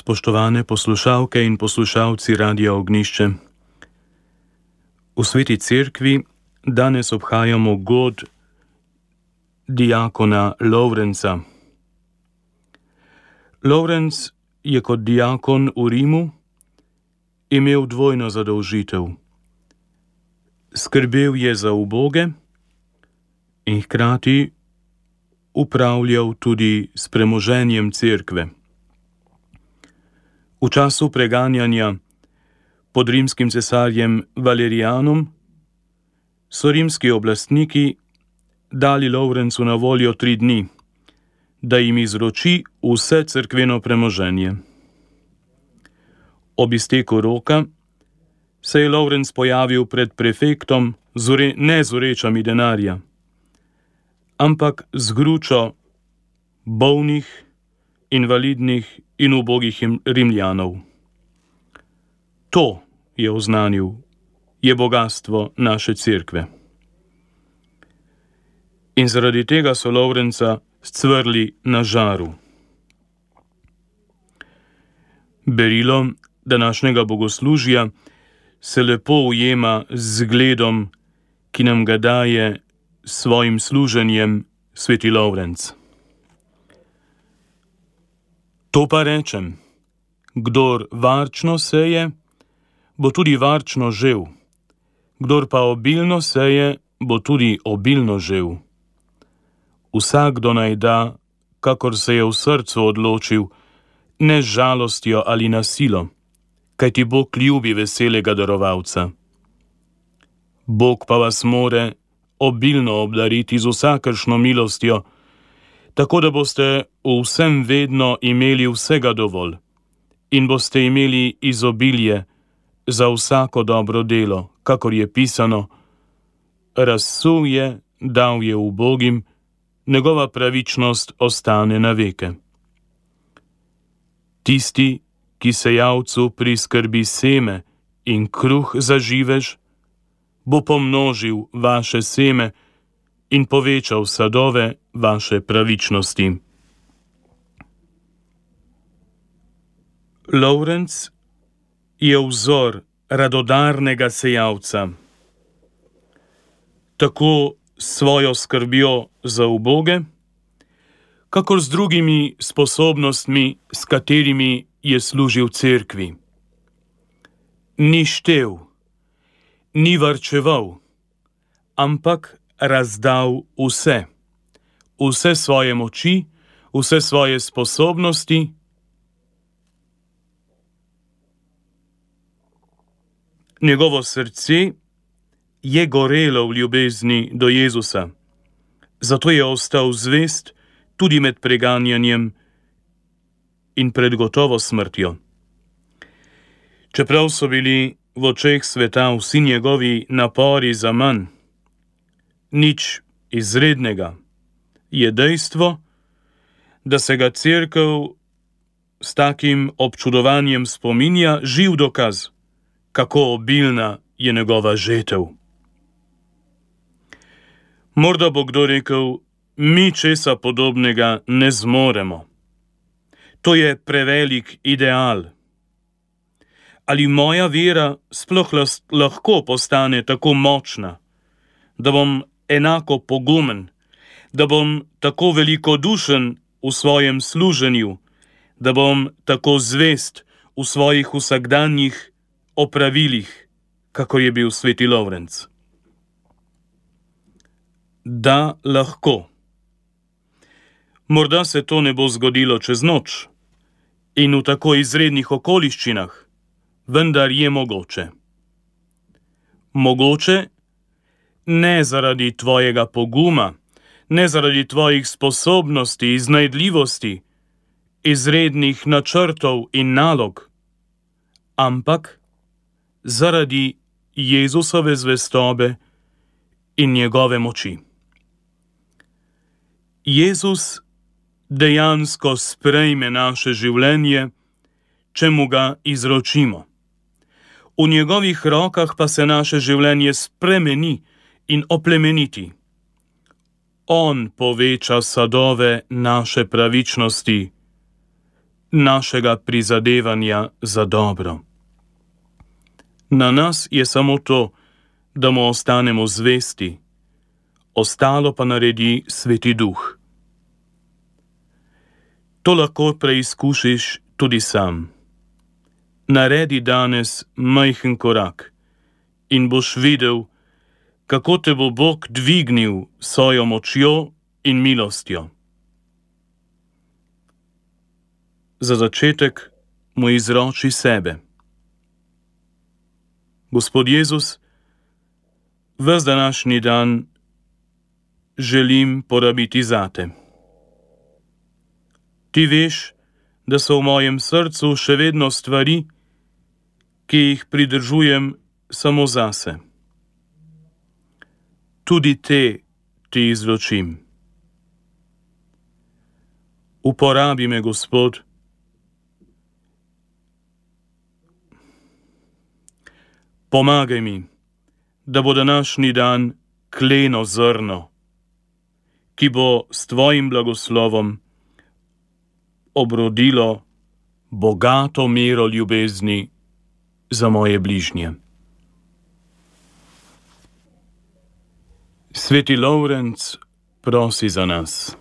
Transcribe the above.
Spoštovane poslušalke in poslušalci Radia Ognjišče. V Sveti Cerkvi danes obhajamo god diakona Lovrenca. Lovrenc je kot diakon v Rimu imel dvojno zadolžitev. Skrbel je za uboge in hkrati upravljal tudi s premoženjem cerkve. V času preganjanja pod rimskim cesarjem Valerijanom so rimski oblastniki dali Lovrencu na voljo 3 dni, da jim izroči vse cerkveno premoženje. Ob izteku roka se je Lovrenc pojavil pred prefektom ne z vrečami denarja, ampak z gručo bolnih, invalidnih in ubogih Rimljanov. To, je oznanil, je bogastvo naše cerkve. In zaradi tega so Lovrenca scvrli na žaru. Berilo današnjega bogoslužja se lepo ujema z zgledom, ki nam ga daje s svojim služenjem sveti Lovrenc. To pa rečem, kdor varčno seje, bo tudi varčno žel, kdor pa obilno seje, bo tudi obilno žel. Vsakdo naj da, kakor se je v srcu odločil, ne z žalostjo ali na silo, kajti Bog ljubi veselega darovalca. Bog pa vas more obilno obdariti z vsakršno milostjo, tako da boste v vsem vedno imeli vsega dovolj in boste imeli izobilje za vsako dobro delo, kakor je pisano: razsul je, dal je ubogim, njegova pravičnost ostane na veke. Tisti, ki sejavcu priskrbi seme in kruh za živež, bo pomnožil vaše seme in povečal sadove vaše pravičnosti. Lovrenc je vzor radodarnega sejavca. Tako s svojo skrbjo za uboge, kakor z drugimi sposobnostmi, s katerimi je služil cerkvi. Ni štev, ni varčeval, ampak razdal vse svoje moči, vse svoje sposobnosti. Njegovo srce je gorelo v ljubezni do Jezusa, zato je ostal zvest tudi med preganjanjem in pred gotovo smrtjo. Čeprav so bili v očeh sveta vsi njegovi napori zaman, nič izrednega, je dejstvo, da se ga cerkev s takim občudovanjem spominja, živ dokaz, kako obilna je njegova žetev. Morda bo kdo rekel, mi česa podobnega ne zmoremo. To je prevelik ideal. Ali moja vera sploh lahko postane tako močna, da bom enako pogumen, da bom tako velikodušen v svojem služenju, da bom tako zvest v svojih vsakdanjih opravilih, kakor je bil sveti Lovrenc? Da, lahko. Morda se to ne bo zgodilo čez noč in v tako izrednih okoliščinah, vendar je mogoče. Mogoče ne zaradi tvojega poguma, ne zaradi tvojih sposobnosti, iznajdljivosti, izrednih načrtov in nalog, ampak zaradi Jezusove zvestobe in njegove moči. Jezus dejansko sprejme naše življenje, če mu ga izročimo. V njegovih rokah pa se naše življenje spremeni in oplemeniti. On poveča sadove naše pravičnosti, našega prizadevanja za dobro. Na nas je samo to, da mu ostanemo zvesti, ostalo pa naredi Sveti Duh. To lahko preizkušiš tudi sam. Naredi danes majhen korak in boš videl, kako te bo Bog dvignil s svojo močjo in milostjo. Za začetek mu izroči sebe. Gospod Jezus, ves današnji dan želim porabiti zate. Ti veš, da so v mojem srcu še vedno stvari, ki jih pridržujem samo zase. Tudi te ti izročim. Uporabi me, Gospod, pomagaj mi, da bo današnji dan kleno zrno, ki bo s tvojim blagoslovom obrodilo bogato mero ljubezni za moje bližnje. Sveti Lovrenc prosi za nas.